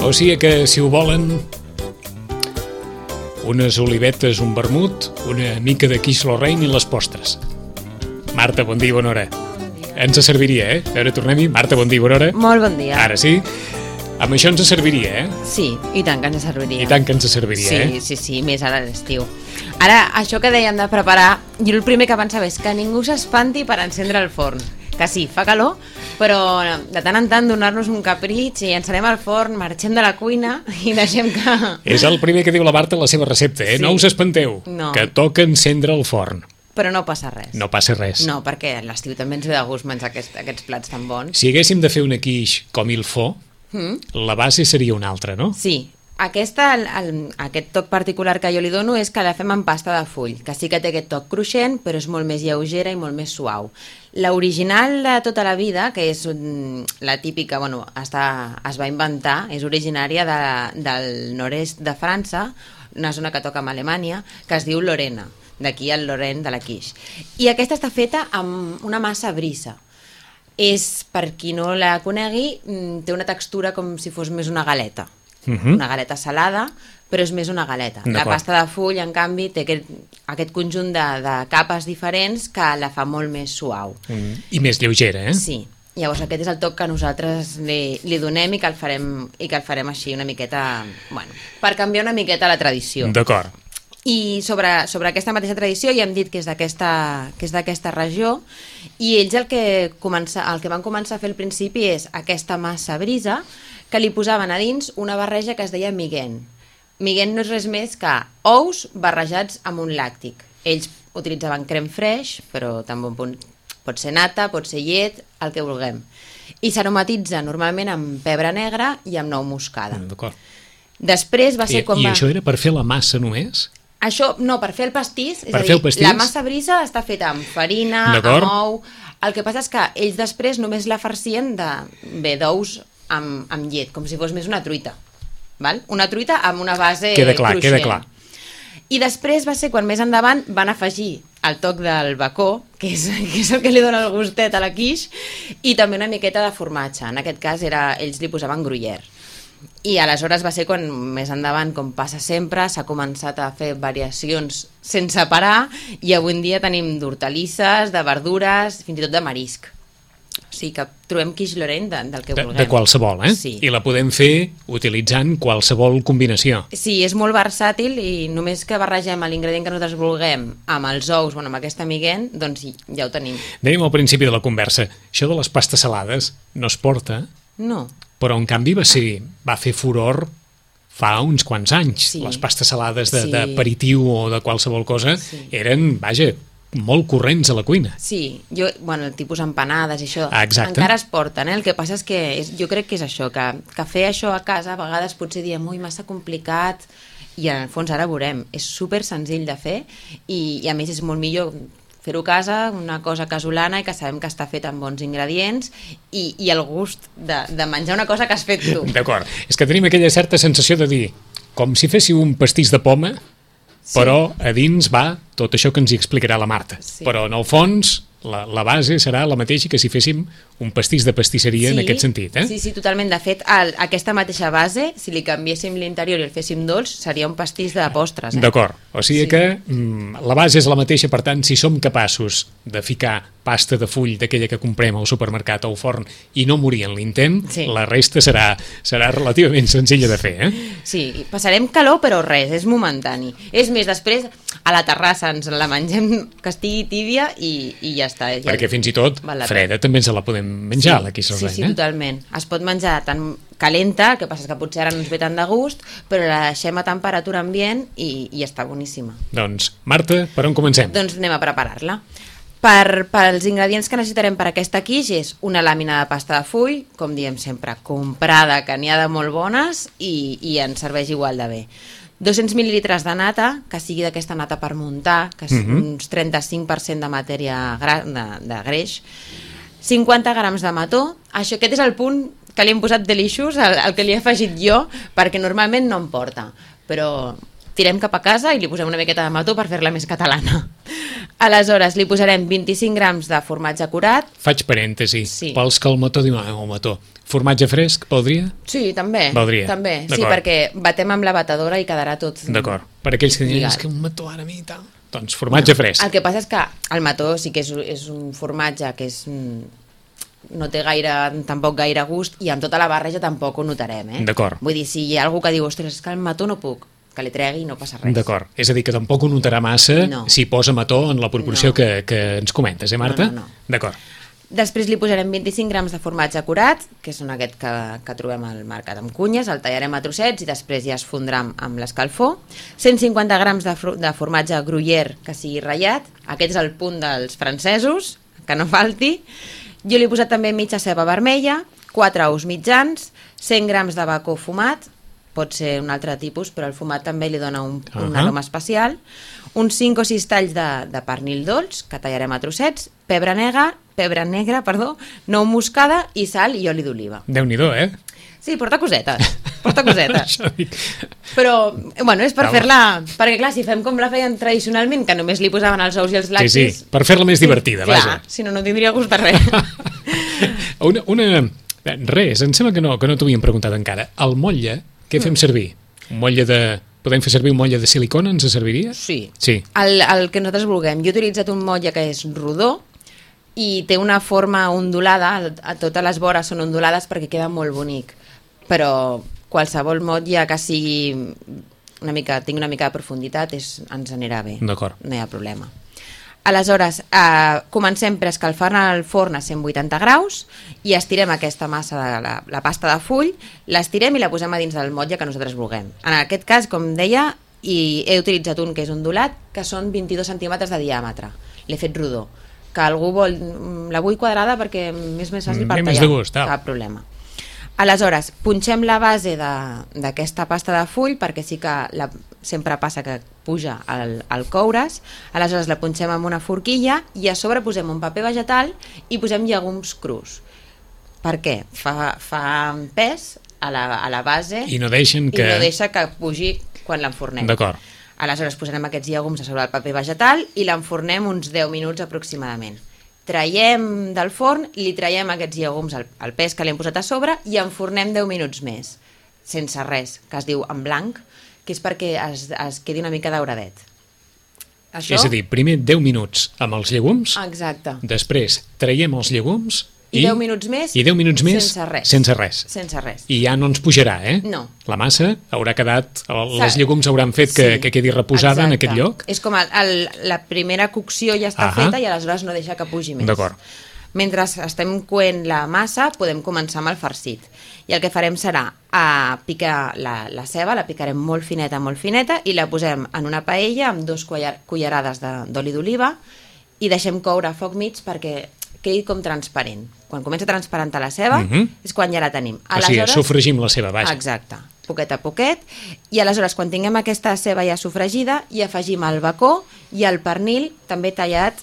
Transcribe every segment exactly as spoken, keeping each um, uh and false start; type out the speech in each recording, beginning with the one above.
O sigui que, si ho volen, unes olivetes, un vermut, una mica de quiche Lorraine i les postres. Marta, bon dia, bona hora. Ens serviria, eh? A veure, tornem-hi. Marta, bon dia, bona hora. Molt bon dia. Ara sí. Amb això ens serviria, eh? Sí, i tant que ens serviria. I tant que ens serviria, sí, eh? Sí, sí, sí, més ara a l'estiu. Ara, això que dèiem de preparar, jo el primer que pensava és que ningú s'espanti per encendre el forn. Que sí, fa calor, però de tant en tant donar-nos un capritx i encenem el forn, marxem de la cuina i deixem que... És el primer que diu la Marta en la seva recepta, eh? Sí. No us espanteu, no. Que toca encendre el forn. Però no passa res. No passa res. No, perquè a l'estiu també ens ve de gust menjar aquest, aquests plats tan bons. Si haguéssim de fer una quiche com il faut, mm? la base seria una altra, no? Sí. Aquesta, el, el, aquest toc particular que jo li dono és que la fem amb pasta de full, que sí que té aquest toc cruixent, però és molt més lleugera i molt més suau. L'original de tota la vida, que és un, la típica, bueno, està, es va inventar, és originària de, del nord-est de França, una zona que toca amb Alemanya, que es diu Lorena, d'aquí el Lorraine de la quiche. I aquesta està feta amb una massa brisa. És, per qui no la conegui, té una textura com si fos més una galeta. Uh-huh. Una galeta salada, però és més una galeta. La pasta de full, en canvi, té aquest, aquest conjunt de, de capes diferents que la fa molt més suau. Mm. I més lleugera, eh? Sí. Llavors aquest és el toc que nosaltres li, li donem i que el farem, i que el farem així una miqueta, bueno, per canviar una miqueta la tradició. D'acord. I sobre, sobre aquesta mateixa tradició ja hem dit que és d'aquesta que és d'aquesta regió, i ells el que, comença, el que van començar a fer al principi és aquesta massa brisa que li posaven a dins una barreja que es deia miguent. Miguent no és res més que ous barrejats amb un làctic. Ells utilitzaven crem freix, però també pot ser nata, pot ser llet, el que vulguem. I s'aromatitza normalment amb pebre negre i amb nou moscada. D'acord. Després va ser I, quan I va... això era per fer la massa només? Això, no, per fer el pastís, és per a dir, pastís? La massa brisa està feta amb farina, amb ou... El que passa és que ells després només la farcien de, bé, d'ous amb, amb llet, com si fos més una truita. Val? Una truita amb una base queda clar, cruixent. Queda clar. I després va ser quan més endavant van afegir el toc del bacó, que és, que és el que li dona el gustet a la quiche, i també una miqueta de formatge. En aquest cas era, ells li posaven gruyère. I aleshores va ser quan més endavant, com passa sempre, s'ha començat a fer variacions sense parar, i avui en dia tenim d'hortalisses, de verdures, fins i tot de marisc. O sigui que trobem quiche Lorraine de, del que de, vulguem. De qualsevol, eh? Sí. I la podem fer utilitzant qualsevol combinació. Sí, és molt versàtil, i només que barregem l'ingredient que nosaltres vulguem amb els ous, bueno, amb aquesta miguent, doncs ja ho tenim. Dèiem al principi de la conversa, això de les pastes salades no es porta... No. Però en canvi va, ser, va fer furor fa uns quants anys. Sí. Les pastes salades de, sí. d'aperitiu o de qualsevol cosa sí. eren, vaja, molt corrents a la cuina. Sí, jo, bueno, el tipus empanades i això, exacte. Encara es porten, eh? El que passa és que és, jo crec que és això, que, que fer això a casa a vegades potser diem, ui, massa complicat, i en el fons ara veurem, és super senzill de fer, i, i a més és molt millor fer-ho a casa, una cosa casolana i que sabem que està fet amb bons ingredients, i, i el gust de, de menjar una cosa que has fet tu. D'acord, és que tenim aquella certa sensació de dir, com si féssiu un pastís de poma, sí. Però a dins va tot això que ens hi explicarà la Marta. Sí. Però en el fons la, la base serà la mateixa que si féssim un pastís de pastisseria, sí, en aquest sentit. Eh? Sí, sí, totalment. De fet, el, aquesta mateixa base, si li canviéssim l'interior i el féssim dolç, seria un pastís de postres. Eh? D'acord, o sigui sí. que mm, la base és la mateixa, per tant, si som capaços de ficar pasta de full d'aquella que comprem al supermercat o al forn i no morir en l'intent, sí. La resta serà, serà relativament senzilla de fer. Eh? Sí, passarem calor, però res, és momentani. És més, després a la terrassa ens la mengem que estigui tíbia i, i ja està. Ja perquè fins i tot freda també ens la podem menjar, sí, la quiche sí, Lorraine. Sí, sí, totalment. Es pot menjar tan calenta, el que passa és que potser ara no ens ve tant de gust, però la deixem a temperatura ambient i, i està boníssima. Doncs, Marta, per on comencem? Doncs anem a preparar-la. Per, per els ingredients que necessitarem per aquesta quiche és una làmina de pasta de full, com diem sempre, comprada, que n'hi ha de molt bones i, i ens serveix igual de bé. dos-cents mil·lilitres de nata, que sigui d'aquesta nata per muntar, que és uh-huh. uns trenta-cinc per cent de matèria gra, de, de greix, cinquanta grams de mató. Això, aquest és el punt que li hem posat delicious, el, el que li he afegit jo, perquè normalment no em porta, però tirem cap a casa i li posem una miqueta de mató per fer-la més catalana. Aleshores, li posarem vint-i-cinc grams de formatge curat. Faig parèntesi. Sí. Pels que el mató diu, ah, el mató. Formatge fresc, valdria? Sí, també. Valdria. També. Sí, perquè batem amb la batedora i quedarà tot... D'acord. Per aquells que diuen, és que un mató ara a mi i tal... Doncs formatge no. fresc. El que passa és que el mató sí que és, és un formatge que és... no té gaire, tampoc gaire gust i amb tota la barreja tampoc ho notarem, eh? D'acord. Vull dir, si hi ha algú que diu, ostres, és que el mató no puc, que li tregui i no passa res. D'acord. És a dir, que tampoc ho notarà massa no. si posa mató en la proporció no. que, que ens comentes, eh, Marta? No, no, no. D'acord. Després li posarem vint-i-cinc grams de formatge curat, que són aquest que, que trobem al mercat amb cunyes, el tallarem a trossets i després ja es fondrà amb, amb l'escalfor. cent cinquanta grams de, de formatge gruyère que sigui ratllat, aquest és el punt dels francesos, que no falti. Jo li he posat també mitja ceba vermella, quatre ous mitjans, cent grams de bacó fumat, pot ser un altre tipus, però el fumat també li dona un, uh -huh. un aroma especial, uns cinc o sis talls de, de pernil dolç, que tallarem a trossets, pebre negre, pebre negre, perdó, nou moscada i sal i oli d'oliva. Déu-n'hi-do, eh? Sí, porta cosetes, porta cosetes. Però, bueno, és per fer-la... Perquè, clar, si fem com la feien tradicionalment, que només li posaven els ous i els lactis... Sí, sí, per fer-la més divertida, sí, vaja. Clar, si no, no tindria gust de res. una, una... Res, em sembla que no, que no t'ho havíem preguntat encara. El motlle, què fem servir? Un motlle de... Podem fer servir un motlle de silicona, ens serviria? Sí. Sí. El, el que nosaltres vulguem. Jo he utilitzat un motlle que és rodó i té una forma ondulada, a totes les vores són ondulades perquè queda molt bonic. Però qualsevol motlle que sigui una mica, tingui una mica de profunditat és, ens anirà bé. D'acord. No hi ha problema. Aleshores, eh, comencem per escalfar el forn a cent vuitanta graus i estirem aquesta massa de la, la pasta de full, l'estirem i la posem a dins del motlle que nosaltres vulguem. En aquest cas, com deia, i he utilitzat un que és ondulat, que són vint-i-dos centímetres de diàmetre. L'he fet rodó. Que algú vol... La vull quadrada perquè és més fàcil per tallar. Més de gust, tal. Cap problema. Aleshores, punxem la base d'aquesta pasta de full perquè sí que la, sempre passa que puja al, al coure's, aleshores la punxem amb una forquilla i a sobre posem un paper vegetal i posem llegums crus. Per què? Fa, fa pes a la, a la base i no, deixen que... i no deixa que pugi quan l'enfornem. D'acord. Aleshores posarem aquests llegums a sobre el paper vegetal i l'enfornem uns deu minuts aproximadament. Traiem del forn, li traiem aquests llegums al, al pes que li hem posat a sobre i enfornem deu minuts més, sense res, que es diu en blanc, que és perquè es, es quedi una mica dauradet. Això... És a dir, primer deu minuts amb els llegums, exacte. Després traiem els llegums i, I deu minuts més, i deu minuts més sense res. Sense res. Sense res. I ja no ens pujarà, eh? No. La massa haurà quedat, els llegums hauran fet que, sí, que quedi reposada. Exacte. En aquest lloc. És com el, el, la primera cocció ja està Ahà. feta i aleshores no deixa que pugi més. D'acord. Mentre estem coent la massa podem començar amb el farcit. I el que farem serà a picar la, la ceba, la picarem molt fineta, molt fineta i la posem en una paella amb dos cullerades d'oli d'oliva i deixem coure a foc mig perquè quedi com transparent. Quan comença a transparentar la ceba uh -huh. és quan ja la tenim. Aleshores, o sigui, sofregim la ceba, vaja. Exacte, poquet a poquet. I aleshores, quan tinguem aquesta ceba ja sofregida, hi afegim el bacó i el pernil també tallat,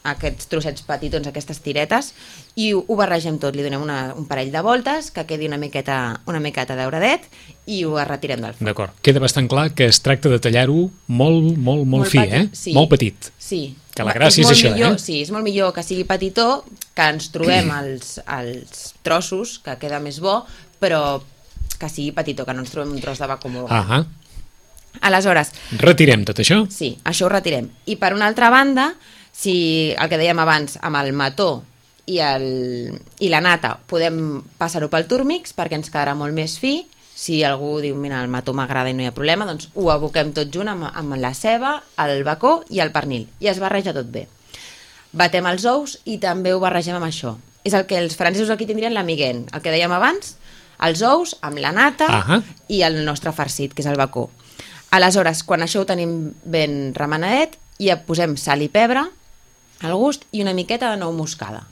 aquests trossets petitons, aquestes tiretes, i ho, ho barregem tot. Li donem una, un parell de voltes, que quedi una miqueta, una miqueta dauradet, i ho retirem del forn. D'acord. Queda bastant clar que es tracta de tallar-ho molt, molt, molt, molt fi, petit, eh? Sí. Molt petit. Sí. Que la gràcia és, és això, millor, eh? Sí, és molt millor que sigui petitó, que ens trobem els, els trossos, que queda més bo, però que sigui petitó, que no ens trobem un tros de bacó molt gran. Ahà. Aleshores... Retirem tot això? Sí, això ho retirem. I per una altra banda, si el que dèiem abans, amb el mató i, el, i la nata, podem passar-ho pel túrmix perquè ens quedarà molt més fi. Si algú diu, mira, el mató m'agrada i no hi ha problema, doncs ho aboquem tot junt amb, amb la ceba, el bacó i el pernil. I es barreja tot bé. Batem els ous i també ho barregem amb això. És el que els francesos aquí tindrien l'amiguent. El que dèiem abans, els ous amb la nata Ahà. i el nostre farcit, que és el bacó. Aleshores, quan això ho tenim ben remenadet, hi posem sal i pebre al gust i una miqueta de nou moscada.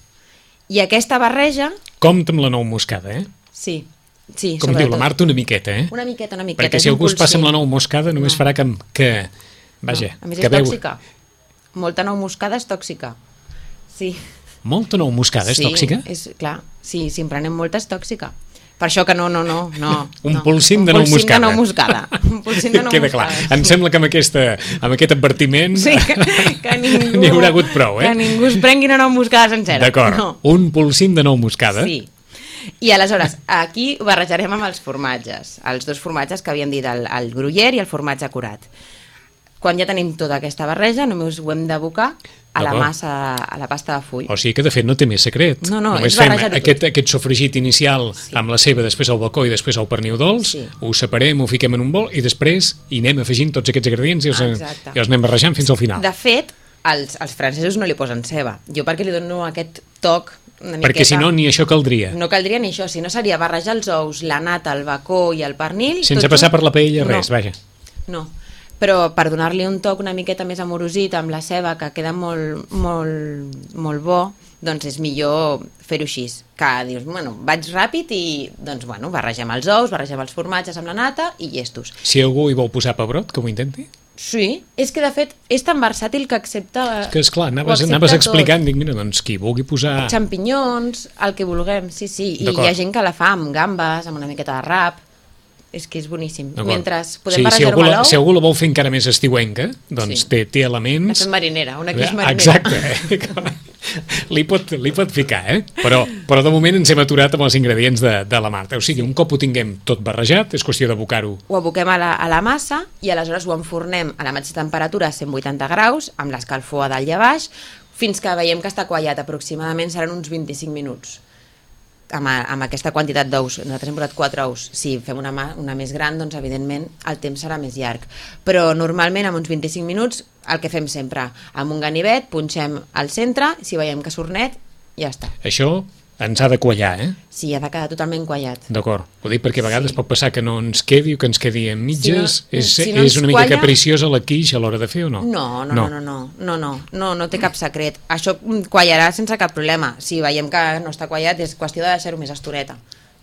I aquesta barreja... Compte amb la nou moscada, eh? Sí. Sí, com diu la Marta, una miqueta, eh? Una miqueta, una miqueta. Perquè si algú es passa amb la nou moscada només no. farà que... que vaja, no. A més que és veu... tòxica. Molta nou moscada és tòxica. Sí. Molta nou moscada és sí, tòxica? És, clar, sí, si en prenem molta és tòxica. Per això que no, no, no. no un no. polsim de nou moscada. Un polsim de nou moscada. Un polsim de nou Queda moscada. clar. Em sembla que amb, aquesta, amb aquest advertiment sí, que, que ningú... n'hi haurà hagut prou, eh? Que ningú es prengui una nou moscada sencera. D'acord. No. Un polsim de nou moscada. Sí. I aleshores, aquí ho barrejarem amb els formatges. Els dos formatges que havíem dit, el, el gruyère i el formatge curat. Quan ja tenim tota aquesta barreja, només ho hem d'abocar a la massa, a la pasta de full. O sigui que, de fet, no té més secret. No, no, només és fem barrejar-ho aquest, aquest sofregit inicial sí. amb la ceba, després el bacó i després el pernil dolç, sí. ho separem, ho fiquem en un bol i després hi anem afegint tots aquests ingredients i els, i els anem barrejant fins al final. De fet, els, els francesos no li posen ceba. Jo perquè li dono aquest toc una miqueta... Perquè si no, ni això caldria. No caldria ni això, si no seria barrejar els ous, la nata, el bacó i el pernil... Sense passar per la paella, res, no. vaja. No, però per donar-li un toc una miqueta més amorosit amb la ceba, que queda molt, molt, molt bo, doncs és millor fer-ho així. Que dius, bueno, vaig ràpid i doncs, bueno, barregem els ous, barregem els formatges amb la nata i llestos. Si algú hi vol posar pebrot, que ho intenti? Sí, és que de fet és tan versàtil que accepta... És que esclar, anaves, anaves explicant, dic, mira, doncs qui vulgui posar... Xampinyons, el que vulguem, sí, sí. I hi ha gent que la fa amb gambes, amb una miqueta de rap... És que és boníssim. Mentre podem sí, barrejar-ho si amb l'ou... Si algú la vol fer encara més estiuenca, doncs sí. té, té elements... La fem marinera, una quiche marinera. Exacte, eh? li, pot, li pot ficar, eh? Però, però de moment ens hem aturat amb els ingredients de, de la Marta. O sigui, un cop ho tinguem tot barrejat, és qüestió d'abocar-ho. Ho aboquem a la, a la massa i aleshores ho enfornem a la mateixa temperatura, cent vuitanta graus, amb l'escalfor a dalt i a baix, fins que veiem que està quallat. Aproximadament seran uns vint-i-cinc minuts. Amb, amb aquesta quantitat d'ous, nosaltres hem posat quatre ous. Si fem una, una més gran, doncs evidentment el temps serà més llarg. Però normalment amb uns vint-i-cinc minuts el que fem sempre, amb un ganivet punxem al centre, si veiem que surt net, ja està. Això ens ha de quallar, eh? Sí, ha de quedar totalment quallat. D'acord, ho dic perquè a vegades sí. pot passar que no ens quedi o que ens quedi en mitges. Si no, és si no és una mica qualla... capriciosa la quiche a l'hora de fer o no? No, no, no, no, no, no, no, no, no té cap secret. Això quallarà sense cap problema. Si veiem que no està quallat és qüestió de deixar-ho més estoreta.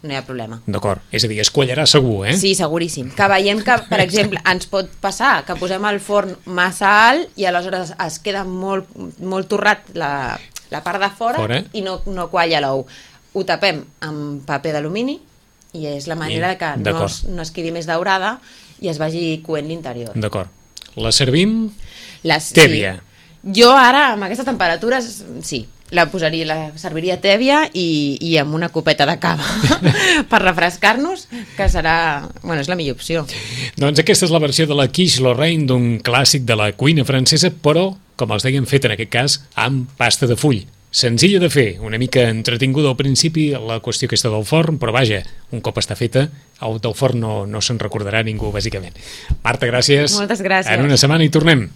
No hi ha problema. D'acord, és a dir, es quallarà segur, eh? Sí, seguríssim. Que veiem que, per exemple, ens pot passar que posem el forn massa alt i aleshores es queda molt, molt torrat la, la part de fora, fora i no, no qualla l'ou. Ho tapem amb paper d'alumini i és la manera I, que no es, no es quedi més daurada i es vagi coent l'interior. D'acord. La servim Les, tèbia. Sí. Jo ara, amb aquestes temperatures, sí, la posaria, la serviria tèbia i, i amb una copeta de cava per refrescar-nos, que serà... Bueno, és la millor opció. Doncs aquesta és la versió de la quiche Lorraine d'un clàssic de la cuina francesa, però, com els dèiem, fet en aquest cas amb pasta de full. Senzilla de fer, una mica entretinguda al principi, la qüestió aquesta del forn, però vaja, un cop està feta, el del forn no, no se'n recordarà ningú, bàsicament. Marta, gràcies. Moltes gràcies. En una setmana hi tornem.